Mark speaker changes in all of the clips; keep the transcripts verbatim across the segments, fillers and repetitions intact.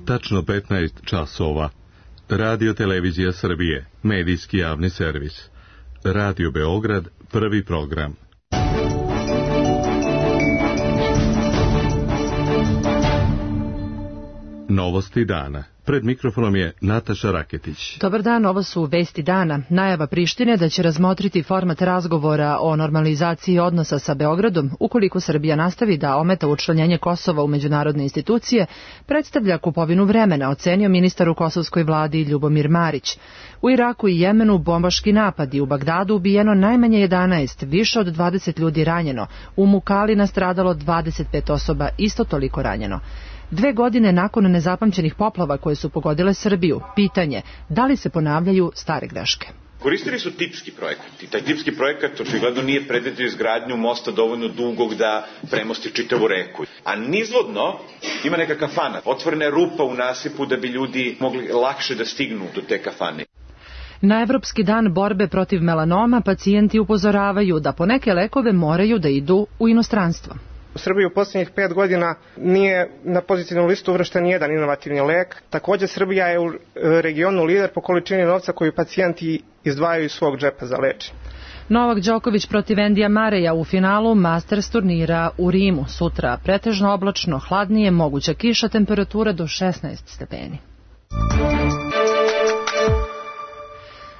Speaker 1: tačno petnaest časova. Radio Televizija Srbije, medijski javni servis. Radio Beograd, prvi program. Novosti dana. Pred mikrofonom je Nataša Raketić.
Speaker 2: Dobar dan, ovo su vesti dana. Najava Prištine da će razmotriti format razgovora o normalizaciji odnosa sa Beogradom ukoliko Srbija nastavi da ometa učlanjenje Kosova u međunarodne institucije, predstavlja kupovinu vremena, ocenio ministar u kosovskoj vladi Ljubomir Marić. U Iraku i Jemenu bombaški napadi, u Bagdadu ubijeno najmanje jedanaest, više od dvadeset ljudi ranjeno, u Mukali nastradalo dvadeset pet osoba, isto toliko ranjeno. Dve godine nakon nezapamćenih poplava koje su pogodile Srbiju, pitanje da li se ponavljaju stare greške.
Speaker 3: Koristili su tipski projekat i taj tipski projekat očigledno nije predvidio izgradnju mosta dovoljno dugog da premosti čitavu reku. A nizvodno ima neka kafana, otvorena je rupa u nasipu da bi ljudi mogli lakše da stignu do te kafane.
Speaker 2: Na Evropski dan borbe protiv melanoma pacijenti upozoravaju da po neke lekove moraju da idu u inostranstvo.
Speaker 4: U Srbiji u posljednjih pet godina nije na pozitivnu listu uvršten nijedan inovativni lek. Također Srbija je u regionu lider po količini novca koju pacijenti izdvajaju iz svog džepa za lečenje.
Speaker 2: Novak Đoković protiv Endija Mareja u finalu Masters turnira u Rimu. Sutra pretežno oblačno, hladnije, moguća kiša, temperatura do šesnaest stepeni.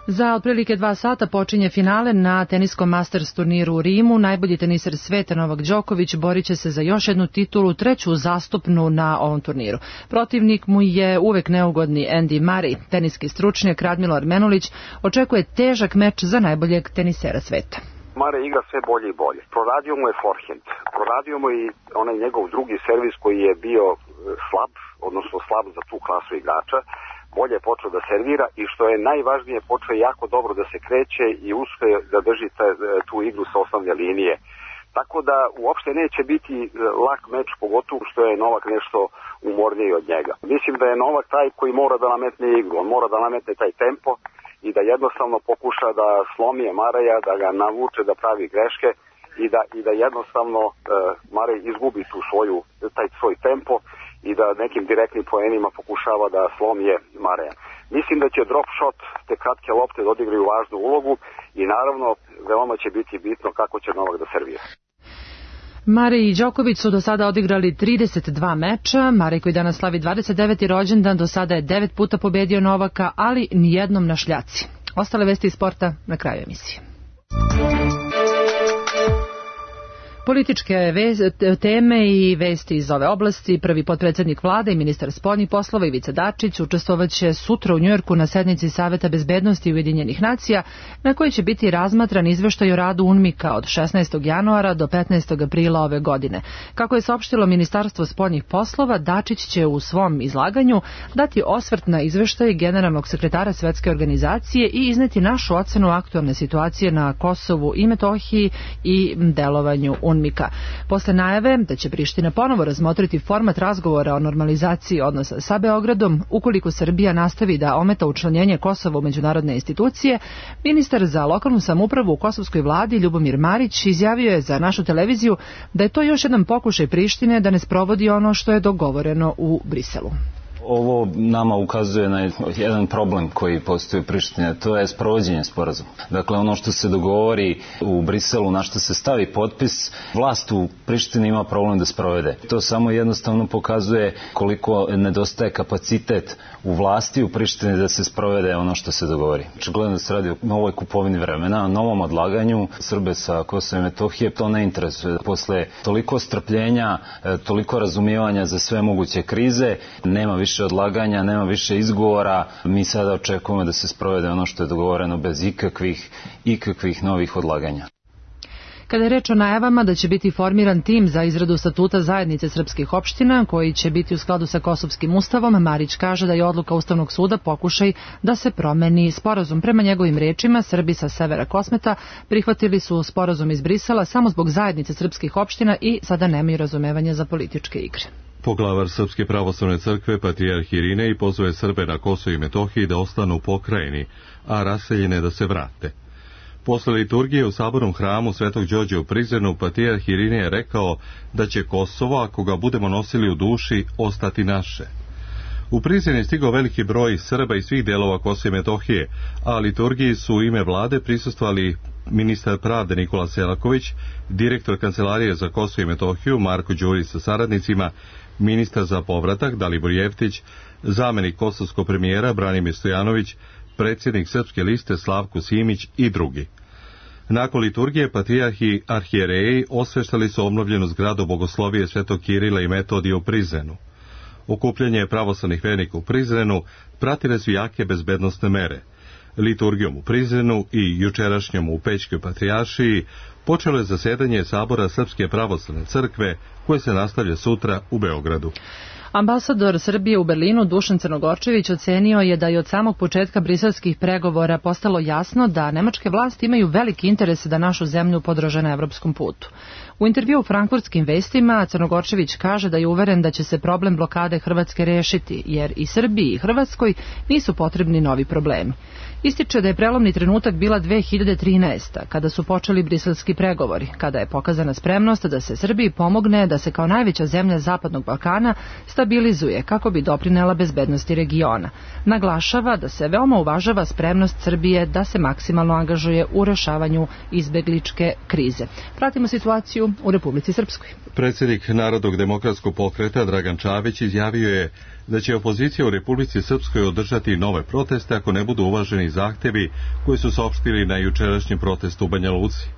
Speaker 2: Za otprilike dva sata počinje finale na teniskom Masters turniru u Rimu. Najbolji teniser sveta Novak Đoković borit će se za još jednu titulu, treću zastupnu na ovom turniru. Protivnik mu je uvek neugodni Andy Murray. Teniski stručnjak Radmilo Menulić očekuje težak meč za najboljeg tenisera sveta.
Speaker 5: Murray igra sve bolje i bolje. Proradio mu je forehand. Proradio mu i onaj njegov drugi servis koji je bio slab, odnosno slab za tu klasu igrača. Bolje je počeo da servira i što je najvažnije, počeo je jako dobro da se kreće i uspije da drži tu igru sa osnovne linije. Tako da uopšte neće biti lak meč, pogotovo što je Novak nešto umorniji od njega. Mislim da je Novak taj koji mora da nametne igru, on mora da nametne taj tempo i da jednostavno pokuša da slomi Maraja, da ga navuče da pravi greške i da, i da jednostavno uh, Maraj izgubi tu svoju, taj svoj tempo i da nekim direktnim poenima pokušava da slomije Maraja. Mislim da će drop shot, te kratke lopte da odigraju važnu ulogu i naravno veoma će biti bitno kako će Novak da servira.
Speaker 2: Marej i Đoković su do sada odigrali trideset dva meča. Marej koji danas slavi dvadeset deveti rođendan do sada je devet puta pobedio Novaka, ali nijednom na šljaci. Ostale vesti iz sporta na kraju emisije. Političke teme i vesti iz ove oblasti. Prvi potpredsjednik vlade i ministar spoljnih poslova Ivica Dačić učestvovaće sutra u Njujorku na sednici Saveta bezbednosti Ujedinjenih nacija, na kojoj će biti razmatran izveštaj o radu UNMIK-a od šesnaestog januara do petnaestog aprila ove godine. Kako je saopštilo Ministarstvo spoljnih poslova, Dačić će u svom izlaganju dati osvrt na izveštaj generalnog sekretara Svetske organizacije i izneti našu ocenu aktualne situacije na Kosovu i Metohiji i delovanju UNMIK-a. Posle najave da će Priština ponovo razmotriti format razgovora o normalizaciji odnosa sa Beogradom ukoliko Srbija nastavi da ometa učlanjenje Kosova u međunarodne institucije, ministar za lokalnu samoupravu u kosovskoj vladi Ljubomir Marić izjavio je za našu televiziju da je to još jedan pokušaj Prištine da ne sprovodi ono što je dogovoreno u Briselu.
Speaker 6: Ovo nama ukazuje na jedan problem koji postoji u Prištini, to je sprovođenje sporazuma. Dakle, ono što se dogovori u Briselu, na što se stavi potpis, vlast u Prištini ima problem da sprovede. To samo jednostavno pokazuje koliko nedostaje kapacitet u vlasti u Prištini da se sprovede ono što se dogovori. Očigledno da se radi o novoj kupovini vremena, novom odlaganju. Srbe sa Kosova i Metohije to ne interesuje. Posle toliko strpljenja, toliko razumijevanja za sve moguće krize, nema više više odlaganja, nema više izgovora. Mi sada očekujemo da se sprovede ono što je dogovoreno bez ikakvih, ikakvih novih odlaganja.
Speaker 2: Kada je reč o najavama da će biti formiran tim za izradu statuta zajednice srpskih opština, koji će biti u skladu sa Kosovskim ustavom, Marić kaže da je odluka Ustavnog suda pokušaj da se promeni sporazum. Prema njegovim rečima, Srbi sa severa Kosmeta prihvatili su sporazum iz Brisela samo zbog zajednice srpskih opština i sada nemaju razumevanja za političke igre.
Speaker 1: Poglavar Srpske pravoslavne crkve Patrijarh Irinej pozove Srbe na Kosovu i Metohiji da ostanu u pokrajini, a raseljene da se vrate. Posle liturgije u sabornom hramu Svetog Đorđa u Prizrenu, Patrijarh Irinej je rekao da će Kosovo, ako ga budemo nosili u duši, ostati naše. U Prizren je stigao veliki broj Srba iz svih delova Kosova i Metohije, a liturgiji su u ime vlade prisustvovali ministar pravde Nikola Selaković, direktor Kancelarije za Kosovo i Metohiju Marko Đurić sa saradnicima, ministar za povratak Dalibor Jeftić, zamenik kosovskog premijera Branimir Stojanović, predsjednik Srpske liste Slavko Simić i drugi. Nakon liturgije patrijarhi i arhijereji osveštali su obnovljenu zgradu bogoslovije Svetog Kirila i Metodija u Prizrenu. Okupljanje pravoslavnih vernika u Prizrenu pratile su jake bezbednosne mere. Liturgijom u Prizrenu i jučerašnjom u Pećkoj patrijaršiji počelo je zasedanje Sabora Srpske pravoslavne crkve, koje se nastavlja sutra u Beogradu.
Speaker 2: Ambasador Srbije u Berlinu Dušan Crnogorčević ocenio je da je od samog početka briselskih pregovora postalo jasno da nemačke vlasti imaju veliki interes da našu zemlju podrže na evropskom putu. U intervju u Frankfurtskim vestima Crnogorčević kaže da je uveren da će se problem blokade Hrvatske rešiti, jer i Srbiji i Hrvatskoj nisu potrebni novi problemi. Ističe da je prelomni trenutak bila dve hiljade trinaesta. kada su počeli briselski pregovori, kada je pokazana spremnost da se Srbiji pomogne da se kao najveća zemlja Zapadnog Balkana stabilizuje kako bi doprinela bezbednosti regiona. Naglašava da se veoma uvažava spremnost Srbije da se maksimalno angažuje u rešavanju izbegličke krize. Pratimo situaciju u Republici Srpskoj.
Speaker 1: Predsjednik Narodnog demokratskog pokreta Dragan Čavić izjavio je da će opozicija u Republici Srpskoj održati nove proteste ako ne budu uvaženi zahtevi koji su saopštili na jučerašnjem protestu u Banja Luci.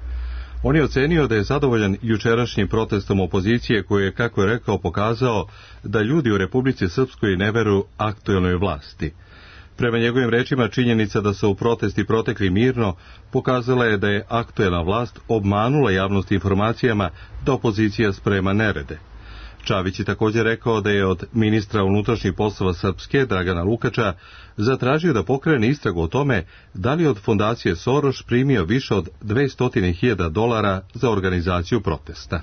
Speaker 1: On je ocenio da je zadovoljan jučerašnjim protestom opozicije koji je, kako je rekao, pokazao da ljudi u Republici Srpskoj ne veruju aktuelnoj vlasti. Prema njegovim rečima, činjenica da su protesti protekli mirno pokazala je da je aktuelna vlast obmanula javnost informacijama da opozicija sprema nerede. Čavić je također rekao da je od ministra unutrašnjih poslova Srpske, Dragana Lukača, zatražio da pokrene istragu o tome da li od fondacije Soros primio više od dvesta hiljada dolara za organizaciju protesta.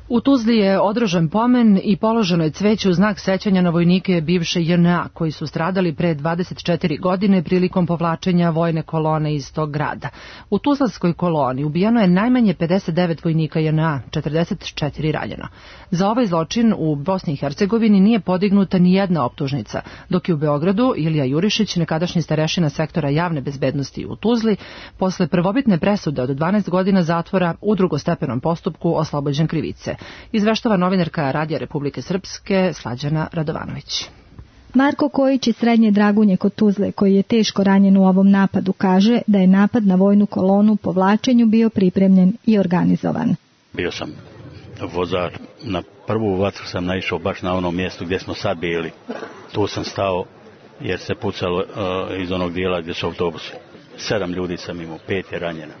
Speaker 2: U Tuzli je održan pomen i položeno je cveće u znak sećanja na vojnike bivše J N A koji su stradali pre dvadeset četiri godine prilikom povlačenja vojne kolone iz tog grada. U tuzlanskoj koloni ubijeno je najmanje pedeset devet vojnika J N A, četrdeset četiri ranjeno. Za ovaj zločin u Bosni i Hercegovini nije podignuta ni jedna optužnica, dok je u Beogradu Ilija Jurišić, nekadašnji starešina sektora javne bezbednosti u Tuzli, posle prvobitne presude od dvanaest godina zatvora u drugostepenom postupku oslobođen krivice. Izveštava novinarka Radija Republike Srpske Slađana Radovanović.
Speaker 7: Marko Kojić iz Srednje Dragunje kod Tuzle, koji je teško ranjen u ovom napadu, kaže da je napad na vojnu kolonu po vlačenju bio pripremljen i organizovan.
Speaker 8: Bio sam vozač, na prvu vatru sam naišao baš na onom mjestu gdje smo sad bili. Tu sam stao jer se pucalo uh, iz onog dijela gdje su autobusi. Sedam ljudi sam imao, pet je ranjena,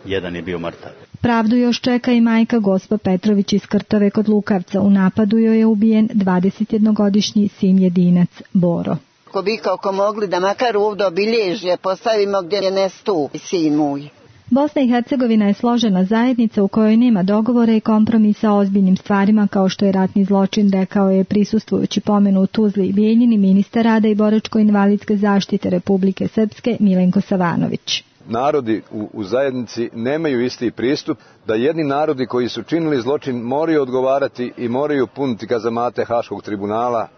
Speaker 8: jedan je bio mrtav.
Speaker 7: Pravdu još čeka i majka Gospa Petrović iz Krtove kod Lukavca. U napadu joj je ubijen dvadesetjednogodišnji sin jedinac Boro.
Speaker 9: Ko bi kako mogli da makar ovdje obilježje postavimo gdje je nestu sin moj.
Speaker 7: Bosna i Hercegovina je složena zajednica u kojoj nema dogovora i kompromisa o ozbiljnim stvarima kao što je ratni zločin, rekao je prisustvujući pomenu u Tuzli i Bijeljini ministar rada i boračko-invalidske zaštite Republike Srpske Milenko Savanović.
Speaker 10: Narodi u, u zajednici nemaju isti pristup, da jedni narodi koji su činili zločin moraju odgovarati i moraju puniti kazamate Haškog tribunala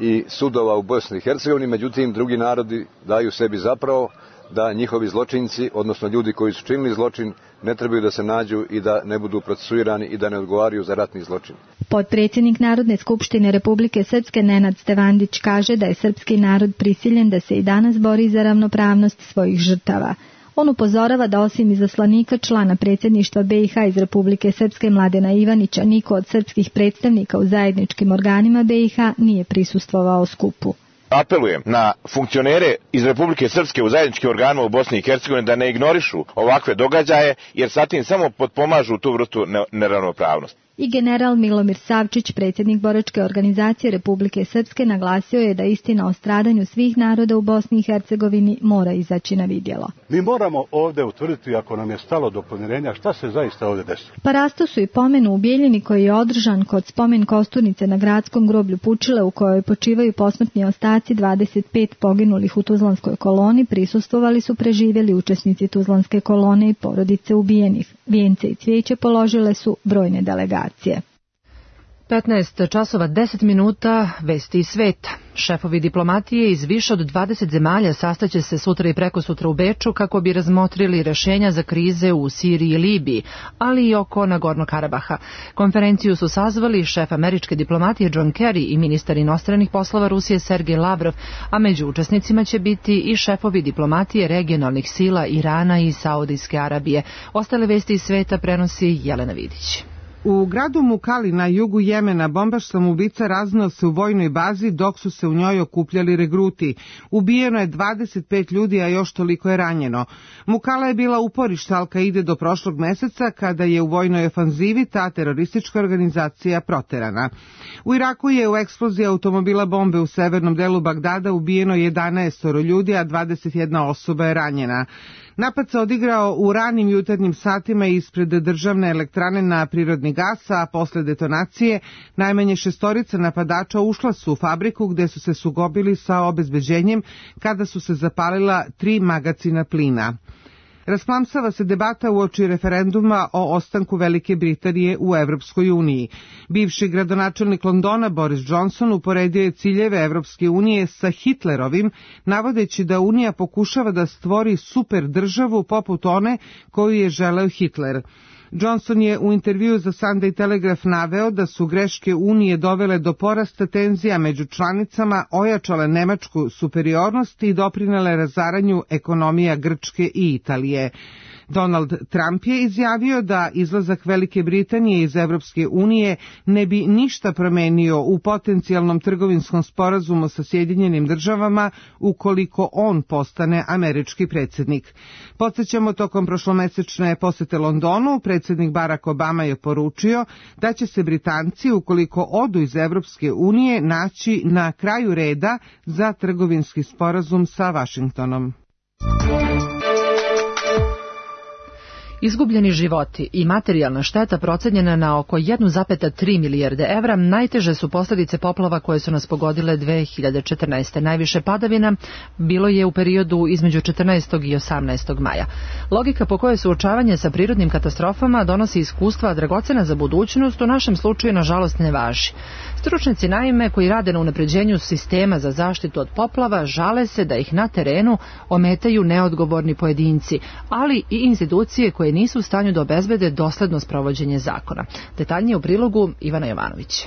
Speaker 10: i sudova u Bosni i Hercegovini, međutim drugi narodi daju sebi zapravo da njihovi zločinci, odnosno ljudi koji su činili zločin, ne trebaju da se nađu i da ne budu procesuirani i da ne odgovaraju za ratni zločin.
Speaker 7: Potpredsjednik Narodne skupštine Republike Srpske Nenad Stevandić kaže da je srpski narod prisiljen da se i danas bori za ravnopravnost svojih žrtava. On upozorava da osim izaslanika člana predsjedništva B i H iz Republike Srpske Mladena Ivanića, niko od srpskih predstavnika u zajedničkim organima B i H nije prisustvovao skupu.
Speaker 11: Apelujem na funkcionere iz Republike Srpske u zajedničkim organima u Bosni i Hercegovini da ne ignorišu ovakve događaje, jer sa tim samo potpomažu tu vrstu neravnopravnosti.
Speaker 7: I general Milomir Savčić, predsjednik boračke organizacije Republike Srpske, naglasio je da istina o stradanju svih naroda u Bosni i Hercegovini mora izaći na vidjelo.
Speaker 12: Mi moramo ovdje utvrditi, ako nam je stalo do pomirenja, šta se zaista ovdje desilo.
Speaker 7: Parasto su i pomenu u Bijeljini koji je održan kod spomen kosturnice na gradskom groblju Pučile, u kojoj počivaju posmrtni ostaci dvadeset pet poginulih u Tuzlanskoj koloni. Prisustvovali su preživjeli učesnici Tuzlanske kolone i porodice ubijenih. Vijence i cvijeće položile su brojne delegacije.
Speaker 2: petnaest časova deset minuta, vesti iz sveta. Šefovi diplomatije iz više od dvadeset zemalja sastaće se sutra i prekosutra u Beču kako bi razmotrili rešenja za krize u Siriji i Libiji, ali i oko Nagorno Karabaha. Konferenciju su sazvali šef američke diplomatije John Kerry i ministar inostranih poslova Rusije Sergej Lavrov, a među učesnicima će biti i šefovi diplomatije regionalnih sila Irana i Saudijske Arabije. Ostale vesti iz sveta prenosi Jelena Vidić.
Speaker 13: U gradu Mukali na jugu Jemena bombaš samoubica raznao se u vojnoj bazi dok su se u njoj okupljali regruti. Ubijeno je dvadeset pet ljudi, a još toliko je ranjeno. Mukala je bila uporište Al-Kaide do prošlog meseca kada je u vojnoj ofanzivi ta teroristička organizacija proterana. U Iraku je u eksploziji automobila bombe u severnom delu Bagdada ubijeno jedanaest ljudi, a dvadeset jedna osoba je ranjena. Napad se odigrao u ranim jutarnjim satima ispred državne elektrane na prirodni gas, a posle detonacije najmanje šestorica napadača ušla su u fabriku gde su se sukobili sa obezbeđenjem kada su se zapalila tri magacina plina. Rasplamsava se debata uoči referenduma o ostanku Velike Britanije u Evropskoj uniji. Bivši gradonačelnik Londona Boris Johnson uporedio je ciljeve Evropske unije sa Hitlerovim, navodeći da Unija pokušava da stvori super državu poput one koju je želeo Hitler. Johnson je u intervjuu za Sunday Telegraph naveo da su greške Unije dovele do porasta tenzija među članicama, ojačale nemačku superiornost i doprinele razaranju ekonomija Grčke i Italije. Donald Trump je izjavio da izlazak Velike Britanije iz Evropske unije ne bi ništa promenio u potencijalnom trgovinskom sporazumu sa Sjedinjenim državama ukoliko on postane američki predsjednik. Podsjećamo, tokom prošlomesečne posete Londonu, predsjednik Barack Obama je poručio da će se Britanci, ukoliko odu iz Evropske unije, naći na kraju reda za trgovinski sporazum sa Vašingtonom.
Speaker 2: Izgubljeni životi i materijalna šteta procenjena na oko jedan zarez tri milijarde evra najteže su posljedice poplava koje su nas pogodile dve hiljade četrnaeste. Najviše padavina bilo je u periodu između četrnaestog i osamnaestog maja. Logika po kojoj suočavanje sa prirodnim katastrofama donosi iskustva dragocena za budućnost u našem slučaju nažalost ne važi. Stručnjaci naime koji rade na unapređenju sistema za zaštitu od poplava žale se da ih na terenu ometaju neodgovorni pojedinci, ali i institucije koje nisu u stanju da obezbede dosledno sprovođenje zakona. Detaljnije u prilogu Ivana Jovanović.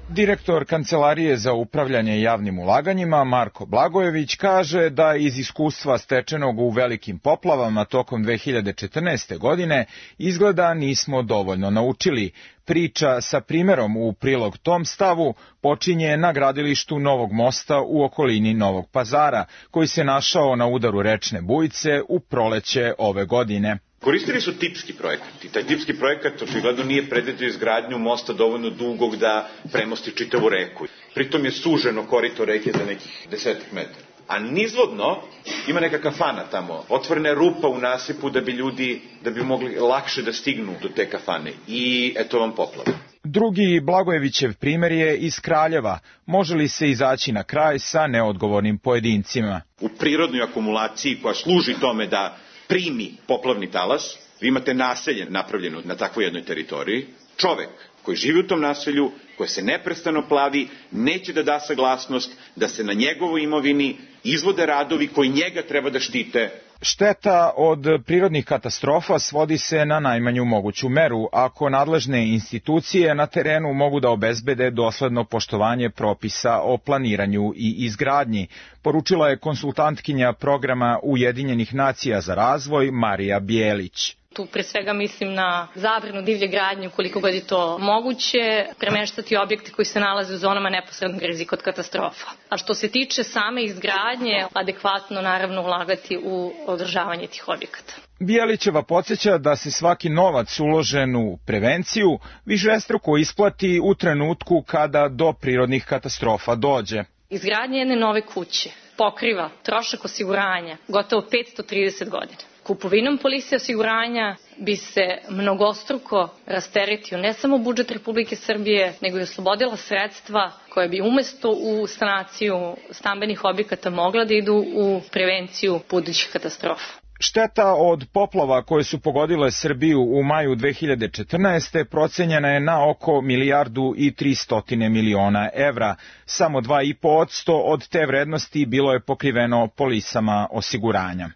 Speaker 14: Direktor Kancelarije za upravljanje javnim ulaganjima Marko Blagojević kaže da iz iskustva stečenog u velikim poplavama tokom dve hiljade četrnaeste. godine izgleda nismo dovoljno naučili. Priča sa primerom u prilog tom stavu počinje na gradilištu Novog mosta u okolini Novog Pazara, koji se našao na udaru rečne bujice u proleće ove godine.
Speaker 3: Koristili su tipski projekat i taj tipski projekat očigledno nije predvidio izgradnju mosta dovoljno dugog da premosti čitavu reku. Pritom je suženo korito reke za nekih desetak metara. A nizvodno ima neka kafana tamo, otvorena je rupa u nasipu da bi ljudi, da bi mogli lakše da stignu do te kafane i eto vam poplava.
Speaker 14: Drugi Blagojevićev primer je iz Kraljeva. Može li se izaći na kraj sa neodgovornim pojedincima?
Speaker 3: U prirodnoj akumulaciji koja služi tome da primi poplavni talas, vi imate naselje napravljeno na takvoj jednoj teritoriji, čovek koji živi u tom naselju, koje se neprestano plavi, neće da da saglasnost da se na njegovoj imovini izvode radovi koji njega treba da štite.
Speaker 14: Šteta od prirodnih katastrofa svodi se na najmanju moguću meru ako nadležne institucije na terenu mogu da obezbede dosledno poštovanje propisa o planiranju i izgradnji, poručila je konsultantkinja programa Ujedinjenih nacija za razvoj Marija Bijelić.
Speaker 15: Tu pre svega mislim na zabranu divlje gradnje ukoliko god je to moguće, premeštati objekte koji se nalaze u zonama neposrednog rizika od katastrofa. A što se tiče same izgradnje, adekvatno naravno ulagati u održavanje tih objekata.
Speaker 14: Bijelićeva podsjeća da se svaki novac uložen u prevenciju višestruko isplati u trenutku kada do prirodnih katastrofa dođe.
Speaker 15: Izgradnja jedne nove kuće pokriva trošak osiguranja gotovo petsto trideset godina. Kupovinom polise osiguranja bi se mnogostruko rasteretio ne samo budžet Republike Srbije, nego i oslobodila sredstva koje bi umesto u sanaciju stambenih objekata mogla da idu u prevenciju budućih katastrofa.
Speaker 14: Šteta od poplava koje su pogodile Srbiju u maju dve hiljade četrnaeste. procenjena je na oko milijardu i tristotine miliona evra. Samo dva i po posto od te vrednosti bilo je pokriveno polisama osiguranja.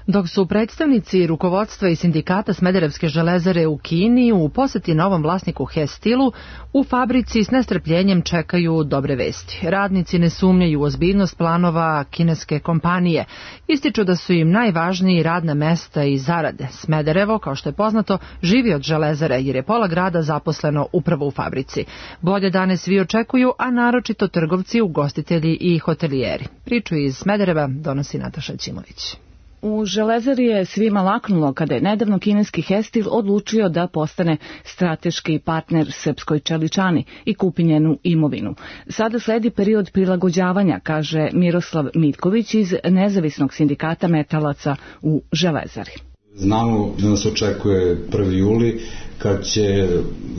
Speaker 2: Dok su predstavnici rukovodstva i sindikata Smederevske železare u Kini u poseti novom vlasniku Hestilu, u fabrici s nestrpljenjem čekaju dobre vesti. Radnici ne sumnjaju u ozbiljnost planova kineske kompanije. Ističu da su im najvažniji radna mesta i zarade. Smederevo, kao što je poznato, živi od železare jer je pola grada zaposleno upravo u fabrici. Bolje dane svi očekuju, a naročito trgovci, ugostitelji i hotelijeri. Priču iz Smedereva donosi Nataša Ćimović.
Speaker 16: U železari je svima laknulo kada je nedavno kineski Hestil odlučio da postane strateški partner srpskoj čeličani i kupi njenu imovinu. Sada sledi period prilagođavanja, kaže Miroslav Mitković iz nezavisnog sindikata metalaca u železari.
Speaker 17: Znamo da nas očekuje prvi juli kad će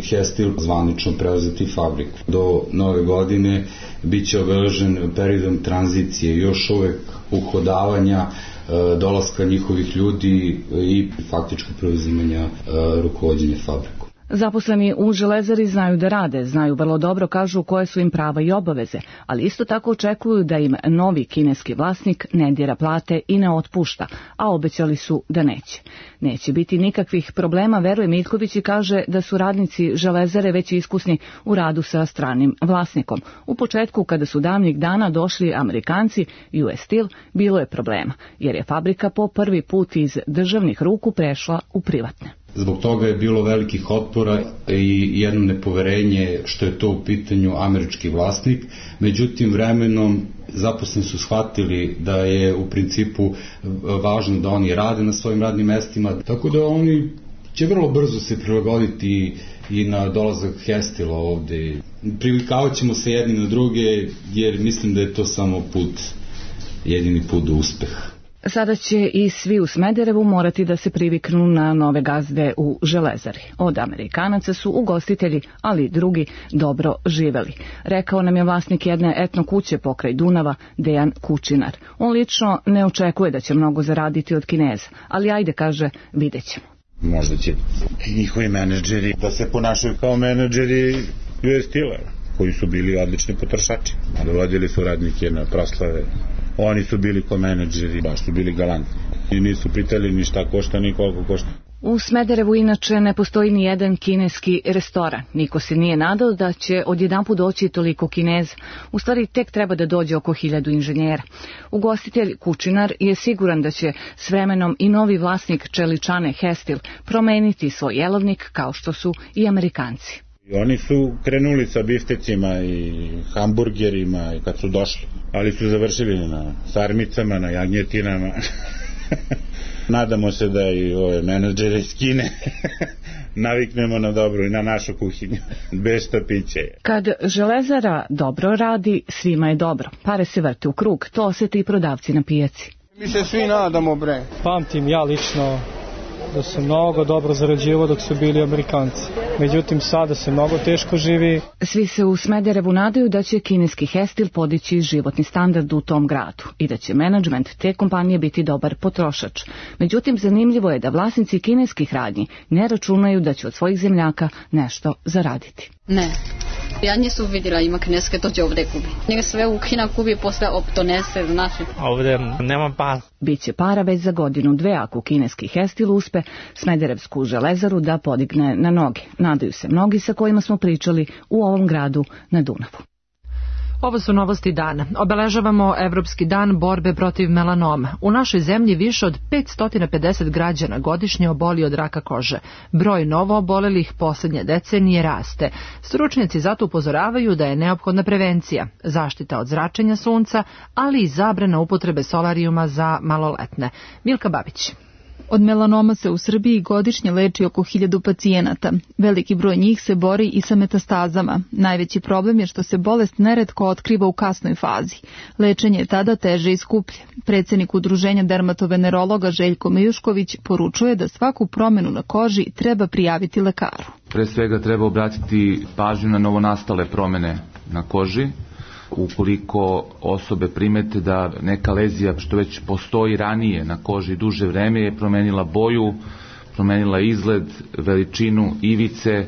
Speaker 17: Hestil zvanično preuzeti fabriku. Do nove godine bit će obeležen periodom tranzicije, još uvek uhodavanja, dolaska njihovih ljudi i faktičko preuzimanja rukovođenja fabriku.
Speaker 16: Zaposleni u železari znaju da rade, znaju vrlo dobro, kažu koje su im prava i obaveze, ali isto tako očekuju da im novi kineski vlasnik ne dira plate i ne otpušta, a obećali su da neće. Neće biti nikakvih problema, veruje Mitković i kaže da su radnici železare već iskusni u radu sa stranim vlasnikom. U početku, kada su davnih dana došli Amerikanci U S Steel, bilo je problema, jer je fabrika po prvi put iz državnih ruku prešla u privatne.
Speaker 17: Zbog toga je bilo velikih otpora i jedno nepoverenje što je to u pitanju američki vlasnik. Međutim, vremenom zaposleni su shvatili da je u principu važno da oni rade na svojim radnim mestima, tako da oni će vrlo brzo se prilagoditi i na dolazak Hestila ovde. Privikavaat ćemo se jedni na druge jer mislim da je to samo put, jedini put do uspeha.
Speaker 16: Sada će i svi u Smederevu morati da se priviknu na nove gazde u železari. Od Amerikanaca su ugostitelji, ali i drugi dobro živeli. Rekao nam je vlasnik jedne etno kuće pokraj Dunava, Dejan Kučinar. On lično ne očekuje da će mnogo zaraditi od Kineza, ali ajde, kaže, vidjet ćemo.
Speaker 18: Možda će njihovi menadžeri da se ponašaju kao menadžeri U S Steel-a, koji su bili odlični potrošači. Dovodili su radnike na proslave. Oni su bili ko menadžeri, baš su bili galantni. I nisu pitali ni šta košta, ni koliko košta.
Speaker 16: U Smederevu inače ne postoji ni jedan kineski restoran. Niko se nije nadao da će odjedanput doći toliko Kineza. U stvari tek treba da dođe oko hiljadu inženjera. Ugostitelj Kučinar je siguran da će s vremenom i novi vlasnik čeličane Hestil promeniti svoj jelovnik kao što su i Amerikanci.
Speaker 18: Oni su krenuli sa biftecima i hamburgerima i kad su došli, ali su završili na sarmicama, na jagnjetinama. Nadamo se da i ove menadžere iz Kine naviknemo na dobro i na našu kuhinju, bez štapića.
Speaker 16: Kad železara dobro radi, svima je dobro. Pare se vrte u krug, to osjete i prodavci na pijaci.
Speaker 19: Mi se svi nadamo, bre.
Speaker 20: Pamtim ja lično da su mnogo dobro zarađivali dok su bili Amerikanci. Međutim, sada se mnogo teško živi.
Speaker 16: Svi se u Smederevu nadaju da će kineski Hestil podići životni standard u tom gradu i da će menadžment te kompanije biti dobar potrošač. Međutim, zanimljivo je da vlasnici kineskih radnji ne računaju da će od svojih zemljaka nešto zaraditi.
Speaker 21: Ne. Ja nisam vidjela ima kineske dođe ovdje kupi. Njega sve u Kina kupi posle donese znači.
Speaker 20: Ovdje nema para.
Speaker 16: Biće para već za godinu dve ako kineski Hestil uspe Smederevsku železaru da podigne na noge. Nadaju se mnogi sa kojima smo pričali u ovom gradu na Dunavu.
Speaker 2: Ovo su novosti dana. Obeležavamo Evropski dan borbe protiv melanoma. U našoj zemlji više od petsto pedeset građana godišnje oboli od raka kože. Broj novo obolelih poslednje decenije raste. Stručnjaci zato upozoravaju da je neophodna prevencija, zaštita od zračenja sunca, ali i zabrana upotrebe solarijuma za maloletne. Milka Babić.
Speaker 22: Od melanoma se u Srbiji godišnje leči oko hiljadu pacijenata. Veliki broj njih se bori i sa metastazama. Najveći problem je što se bolest neretko otkriva u kasnoj fazi. Lečenje je tada teže i skuplje. Predsjednik Udruženja dermatovenerologa Željko Mejušković poručuje da svaku promjenu na koži treba prijaviti lekaru.
Speaker 23: Pre svega treba obratiti pažnju na novonastale promjene na koži,
Speaker 4: Ukoliko osobe primete da neka lezija što već postoji ranije na koži duže vreme je promenila boju, promenila izgled, veličinu, ivice,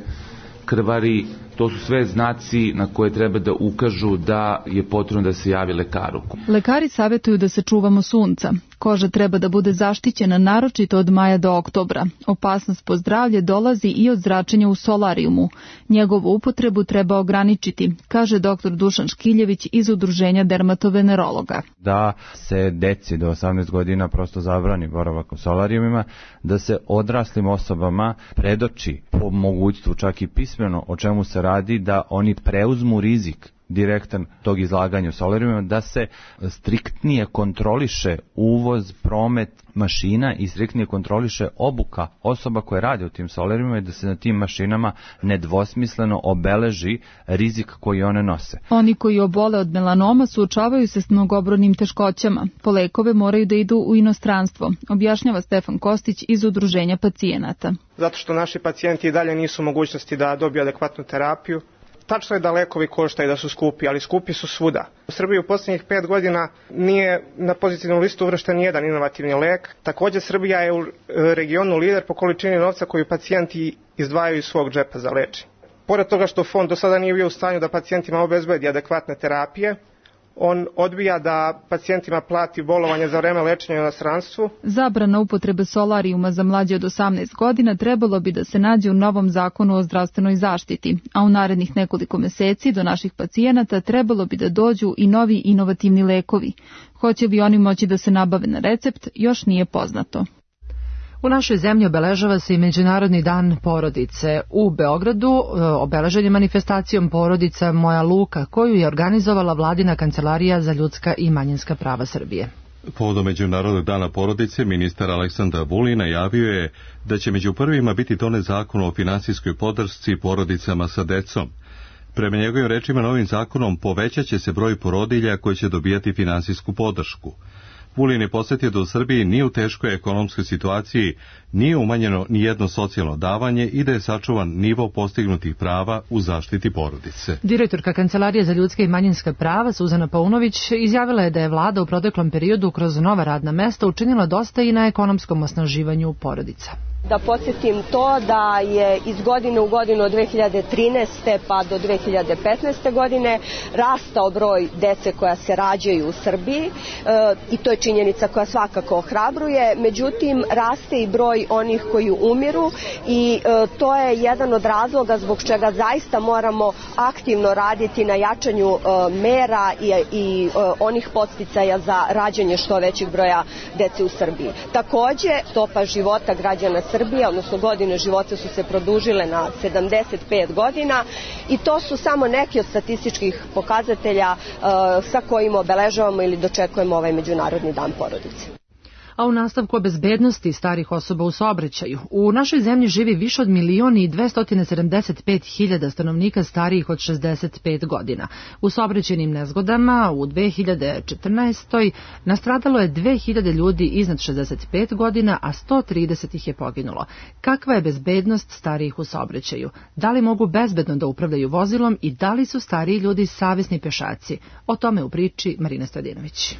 Speaker 4: krvari, to su sve znaci na koje treba da ukažu da je potrebno da se javi lekaru.
Speaker 22: Lekari savjetuju da se čuvamo sunca. Koža treba da bude zaštićena naročito od maja do oktobra. Opasnost po zdravlje dolazi i od zračenja u solarijumu. Njegovu upotrebu treba ograničiti, kaže doktor Dušan Škiljević iz Udruženja dermatovenerologa.
Speaker 5: Da se deci do osamnaest godina prosto zabrani boravak u solarijumima, da se odraslim osobama predoči po mogućstvu čak i pismeno o čemu se radi, da oni preuzmu rizik direktan tog izlaganja u solarijumima, da se striktnije kontroliše uvoz, promet mašina i striktnije kontroliše obuka osoba koje rade u tim solarijumima i da se na tim mašinama nedvosmisleno obeleži rizik koji one nose.
Speaker 22: Oni koji obole od melanoma suočavaju se s mnogobrodnim teškoćama. Po lekove moraju da idu u inostranstvo, objašnjava Stefan Kostić iz Udruženja pacijenata.
Speaker 23: Zato što naši pacijenti i dalje nisu u mogućnosti da dobiju adekvatnu terapiju. Tačno je da lekovi koštaju, da su skupi, ali skupi su svuda. U Srbiji u posljednjih pet godina nije na pozitivnu listu uvršten jedan inovativni lek. Također Srbija je u regionu lider po količini novca koju pacijenti izdvajaju iz svog džepa za lečenje. Pored toga što fond do sada nije bio u stanju da pacijentima obezbedi adekvatne terapije, on odbija da pacijentima plati bolovanje za vreme lečenja u inostranstvu.
Speaker 22: Zabrana upotrebe solarijuma za mlađe od osamnaest godina trebalo bi da se nađe u novom zakonu o zdravstvenoj zaštiti, a u narednih nekoliko meseci do naših pacijenata trebalo bi da dođu i novi inovativni lekovi. Hoće li oni moći da se nabave na recept, još nije poznato.
Speaker 2: U našoj zemlji obeležava se i Međunarodni dan porodice. U Beogradu obeležen je manifestacijom Porodica Moja Luka, koju je organizovala Vladina kancelarija za ljudska i manjinska prava Srbije.
Speaker 1: Povodom Međunarodnog dana porodice, ministar Aleksandar Vulin najavio je da će među prvima biti donet zakon o finansijskoj podršci porodicama sa decom. Prema njegovim rečima, novim zakonom povećat će se broj porodilja koji će dobijati finansijsku podršku. Vulin je posjetio da u Srbiji nije u teškoj ekonomskoj situaciji, nije umanjeno ni jedno socijalno davanje i da je sačuvan nivo postignutih prava u zaštiti porodice.
Speaker 2: Direktorka Kancelarije za ljudska i manjinska prava Suzana Paunović izjavila je da je vlada u proteklom periodu kroz nova radna mesta učinila dosta i na ekonomskom osnaživanju porodica.
Speaker 24: Da podsjetim to da je iz godine u godinu od dve hiljade trinaeste pa do dve hiljade petnaeste godine rastao broj dece koja se rađaju u Srbiji e, i to je činjenica koja svakako ohrabruje, međutim raste i broj onih koji umiru i e, to je jedan od razloga zbog čega zaista moramo aktivno raditi na jačanju e, mera i, i e, onih podsticaja za rađanje što većeg broja dece u Srbiji. Takođe, stopa života građana Srbije, odnosno godine života su se produžile na sedamdeset pet godina i to su samo neki od statističkih pokazatelja uh, sa kojima obeležavamo ili dočekujemo ovaj Međunarodni dan porodice.
Speaker 2: A u nastavku o bezbednosti starih osoba u saobraćaju. U našoj zemlji živi više od milion i dvesta sedamdeset pet hiljada stanovnika starijih od šezdeset pet godina. U saobraćajnim nezgodama u dve hiljade četrnaestoj nastradalo je dve hiljade ljudi iznad šezdeset pet godina, a sto trideset ih je poginulo. Kakva je bezbednost starijih u saobraćaju? Da li mogu bezbedno da upravljaju vozilom i da li su stariji ljudi savesni pešaci? O tome u priči Marina Stojadinović.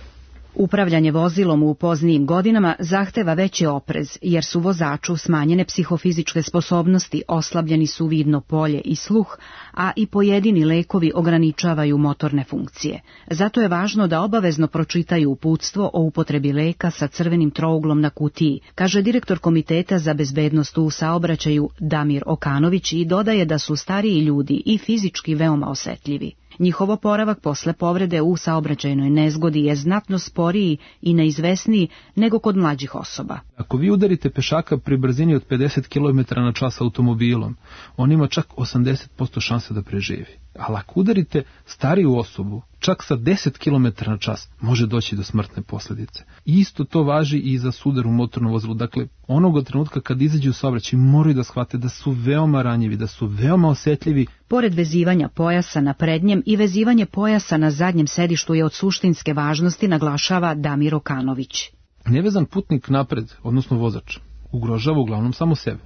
Speaker 25: Upravljanje vozilom u poznijim godinama zahteva veći oprez, jer su vozaču smanjene psihofizičke sposobnosti, oslabljeni su vidno polje i sluh, a i pojedini lekovi ograničavaju motorne funkcije. Zato je važno da obavezno pročitaju uputstvo o upotrebi leka sa crvenim trouglom na kutiji, kaže direktor Komiteta za bezbednost u saobraćaju Damir Okanović i dodaje da su stariji ljudi i fizički veoma osetljivi. Njihov oporavak posle povrede u saobraćajnoj nezgodi je znatno sporiji i neizvesniji nego kod mlađih osoba.
Speaker 26: Ako vi udarite pešaka pri brzini od pedeset kilometara na čas automobilom, on ima čak osamdeset posto šanse da preživi. Ali ako udarite stariju osobu, čak sa deset kilometara na čas, može doći do smrtne posljedice. Isto to važi i za sudar u motornom vozilu. Dakle, onog trenutka kad izađu u saobraćaj moraju da shvate da su veoma ranjivi, da su veoma osetljivi.
Speaker 25: Pored vezivanja pojasa na prednjem i vezivanje pojasa na zadnjem sedištu je od suštinske važnosti, naglašava Damir Okanović.
Speaker 26: Nevezan putnik napred, odnosno vozač, ugrožava uglavnom samo sebe.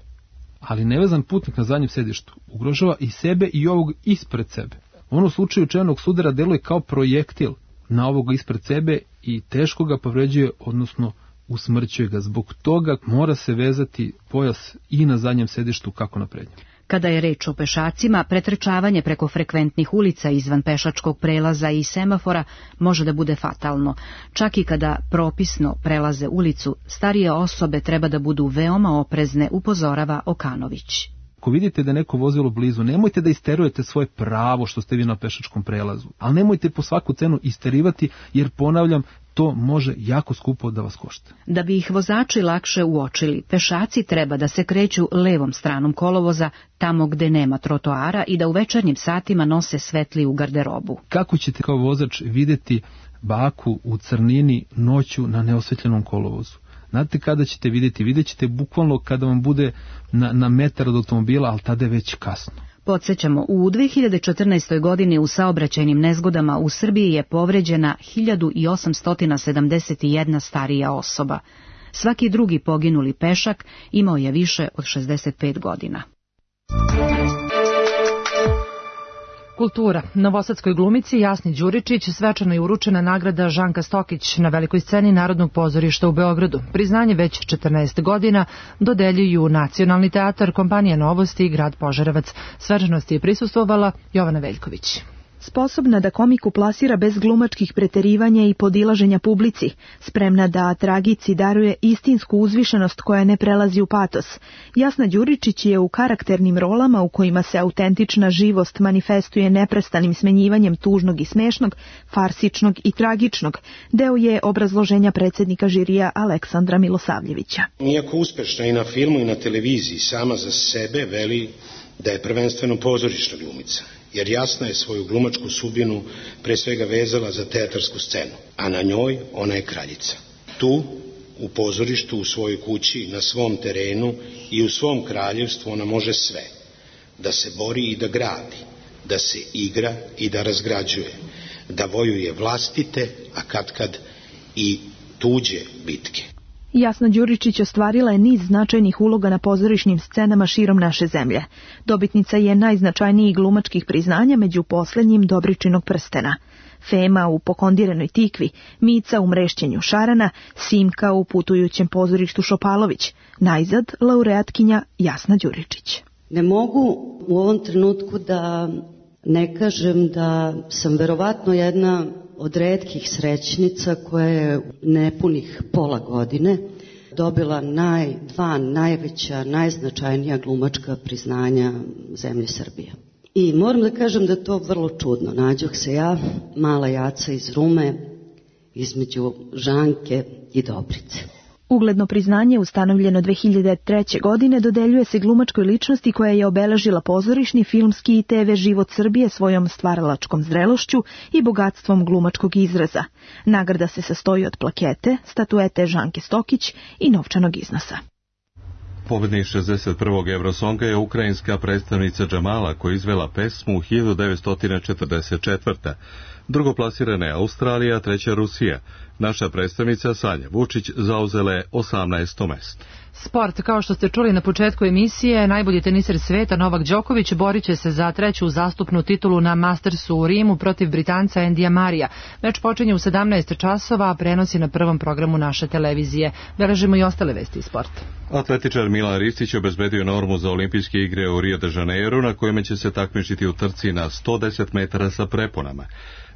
Speaker 26: Ali nevezan putnik na zadnjem sedištu ugrožava i sebe i ovog ispred sebe. On u slučaju čevnog sudara deluje kao projektil na ovoga ispred sebe i teško ga povređuje, odnosno usmrćuje ga. Zbog toga mora se vezati pojas i na zadnjem sedištu kako na prednjem.
Speaker 25: Kada je reč o pešacima, pretrčavanje preko frekventnih ulica izvan pešačkog prelaza i semafora može da bude fatalno. Čak i kada propisno prelaze ulicu, starije osobe treba da budu veoma oprezne, upozorava Okanović.
Speaker 26: Ako vidite da je neko vozilo blizu, nemojte da isterujete svoje pravo što ste vi na pešačkom prelazu, ali nemojte po svaku cenu isterivati, jer ponavljam, to može jako skupo da vas košta.
Speaker 25: Da bi ih vozači lakše uočili, pešaci treba da se kreću levom stranom kolovoza, tamo gde nema trotoara, i da u večernjim satima nose svetliju garderobu.
Speaker 26: Kako ćete kao vozač videti baku u crnini noću na neosvetljenom kolovozu? Znate kada ćete vidjeti? Vidjet ćete bukvalno kada vam bude na, na metar od automobila, ali tada je već kasno.
Speaker 25: Podsjećamo, u dve hiljade četrnaestoj. godini u saobraćajnim nezgodama u Srbiji je povređena hiljadu osamsto sedamdeset jedna starija osoba. Svaki drugi poginuli pešak imao je više od šezdeset pet godina.
Speaker 2: Kultura. Novosadskoj glumici Jasni Đuričić svečano je uručena nagrada Žanka Stokić na velikoj sceni Narodnog pozorišta u Beogradu. Priznanje već četrnaest godina dodeljuju Nacionalni teatar, kompanija Novosti i grad Požarevac. Svečanosti je prisustvovala Jovana Veljković.
Speaker 6: Sposobna da komiku plasira bez glumačkih preterivanja i podilaženja publici, spremna da tragici daruje istinsku uzvišenost koja ne prelazi u patos. Jasna Đuričić je u karakternim rolama u kojima se autentična živost manifestuje neprestanim smenjivanjem tužnog i smešnog, farsičnog i tragičnog. Deo je obrazloženja predsjednika žirija Aleksandra Milosavljevića.
Speaker 8: Iako uspešna i na filmu i na televiziji, sama za sebe veli da je prvenstveno pozorišna glumica, jer Jasna je svoju glumačku sudbinu pre svega vezala za teatarsku scenu, a na njoj ona je kraljica. Tu, u pozorištu, u svojoj kući, na svom terenu i u svom kraljevstvu ona može sve. Da se bori i da gradi, da se igra i da razgrađuje, da vojuje vlastite, a katkad i tuđe bitke.
Speaker 6: Jasna Đuričić ostvarila je niz značajnih uloga na pozorišnim scenama širom naše zemlje. Dobitnica je najznačajnijih glumačkih priznanja, među poslednjim Dobričinog prstena. Fema u Pokondirenoj tikvi, Mica u Mrešćenju šarana, Simka u Putujućem pozorištu Šopalović. Najzad laureatkinja Jasna Đuričić.
Speaker 9: Ne mogu u ovom trenutku da ne kažem da sam verovatno jedna od retkih srećnica koja je nepunih pola godine dobila naj, dva najveća, najznačajnija glumačka priznanja zemlje Srbije. I moram da kažem da je to vrlo čudno. Nađoh se ja, mala jaca iz Rume, između Žanke i Dobrice.
Speaker 6: Ugledno priznanje, ustanovljeno dve hiljade treće. godine, dodeljuje se glumačkoj ličnosti koja je obeležila pozorišni, filmski i te ve život Srbije svojom stvaralačkom zrelošću i bogatstvom glumačkog izraza. Nagrada se sastoji od plakete, statuete Žanke Stokić i novčanog iznosa.
Speaker 1: Pobednik šezdeset prvog Eurosonga je ukrajinska predstavnica Džamala koja je izvela pesmu hiljadu devetsto četrdeset četvrte. Drugoplasirana je Australija, treća Rusija. Naša predstavnica Sanja Vučić zauzela je osamnaesto mesto.
Speaker 2: Sport, kao što ste čuli na početku emisije, najbolji teniser sveta Novak Đoković borit će se za treću zastupnu titulu na Mastersu u Rimu protiv Britanca Endija Marija. Meč počinje u sedamnaest časova, a prenosi na prvom programu naše televizije. Beležimo i ostale vesti iz sporta.
Speaker 1: Atletičar Milan Ristić obezbedio normu za olimpijske igre u Rio de Janeiro, na kojima će se takmičiti u trci na sto deset metara sa preponama.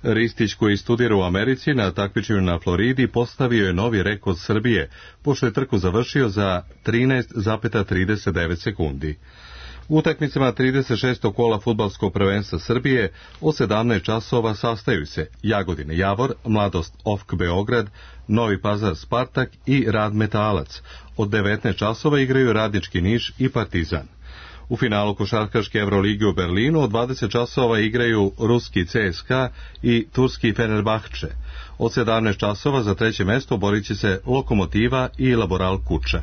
Speaker 1: Ristić, koji studira u Americi, na takmičenju na Floridi postavio je novi rekord Srbije, pošto je trku završio za trinaest zarez trideset devet sekundi. U utakmicama trideset šestog kola fudbalskog prvenstva Srbije od sedamnaest časova sastaju se Jagodina Javor, Mladost O F K Beograd, Novi Pazar Spartak i Rad Metalac. Od devetnaest časova igraju Radnički Niš i Partizan. U finalu košarkaške Evrolige u Berlinu od dvadeset časova igraju ruski C S K A i turski Fenerbahče. Od sedamnaest časova za treće mesto borit će se Lokomotiva i Laboral Kuča.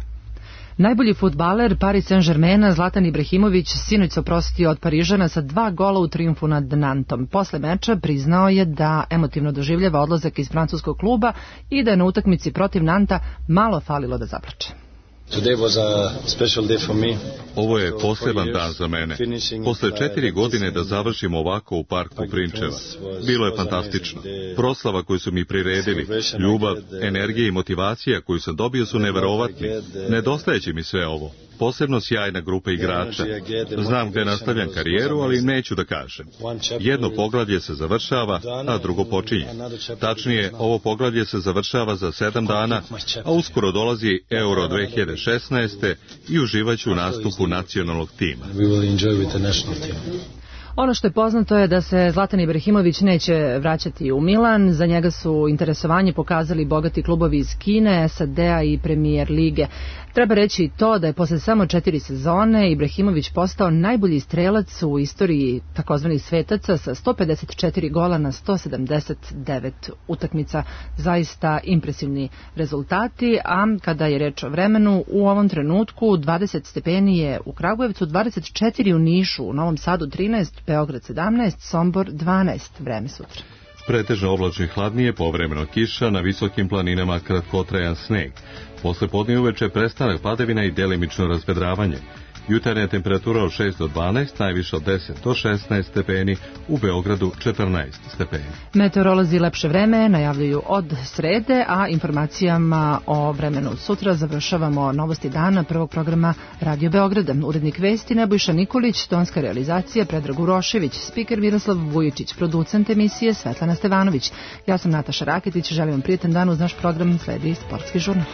Speaker 2: Najbolji fudbaler Paris Saint-Germaina Zlatan Ibrahimović sinoć se oprostio od Parižana sa dva gola u trijumfu nad Nantom. Posle meča priznao je da emotivno doživljava odlazak iz francuskog kluba i da je na utakmici protiv Nanta malo falilo da zaplače.
Speaker 1: Ovo je poseban dan za mene. Posle četiri godine da završim ovako u parku Prinčeva. Bilo je fantastično. Proslava koju su mi priredili, ljubav, energija i motivacija koju sam dobio su neverovatni. Nedostajeće mi sve ovo. Posebno sjajna grupa igrača. Znam gde nastavljam karijeru, ali neću da kažem. Jedno poglavlje se završava, a drugo počinje. Tačnije, ovo poglavlje se završava za sedam dana, a uskoro dolazi Euro dve hiljade šesnaeste i uživaću u nastupu nacionalnog tima.
Speaker 2: Ono što je poznato je da se Zlatan Ibrahimović neće vraćati u Milan. Za njega su interesovanje pokazali bogati klubovi iz Kine, S A D-a i Premier lige. Treba reći i to da je posle samo četiri sezone Ibrahimović postao najbolji strelac u istoriji takozvanih svetaca sa sto pedeset četiri gola na sto sedamdeset devet utakmica. Zaista impresivni rezultati, a kada je reč o vremenu, u ovom trenutku dvadeset stepeni je u Kragujevcu, dvadeset četiri u Nišu, u Novom Sadu trinaest, Beograd sedamnaest, Sombor dvanaest. Vreme sutra.
Speaker 1: Pretežno oblačno i hladnije, povremeno kiša, na visokim planinama kratkotrajan sneg. Posle podne i uveče prestanak padavina i delimično razvedravanje. Jutarnja temperatura od šest do dvanaest, najviše od deset do šesnaest stepeni, u Beogradu četrnaest stepeni.
Speaker 2: Meteorolozi lepše vreme najavljuju od srede, a informacijama o vremenu sutra završavamo novosti dana prvog programa Radio Beograda. Urednik vesti Nebojša Nikolić, tonska realizacija Predrag Urošević, spiker Miroslav Vujičić, producent emisije Svetlana Stevanović. Ja sam Nataša Raketić, želim vam prijetan dan uz naš program, sledi sportski žurnal.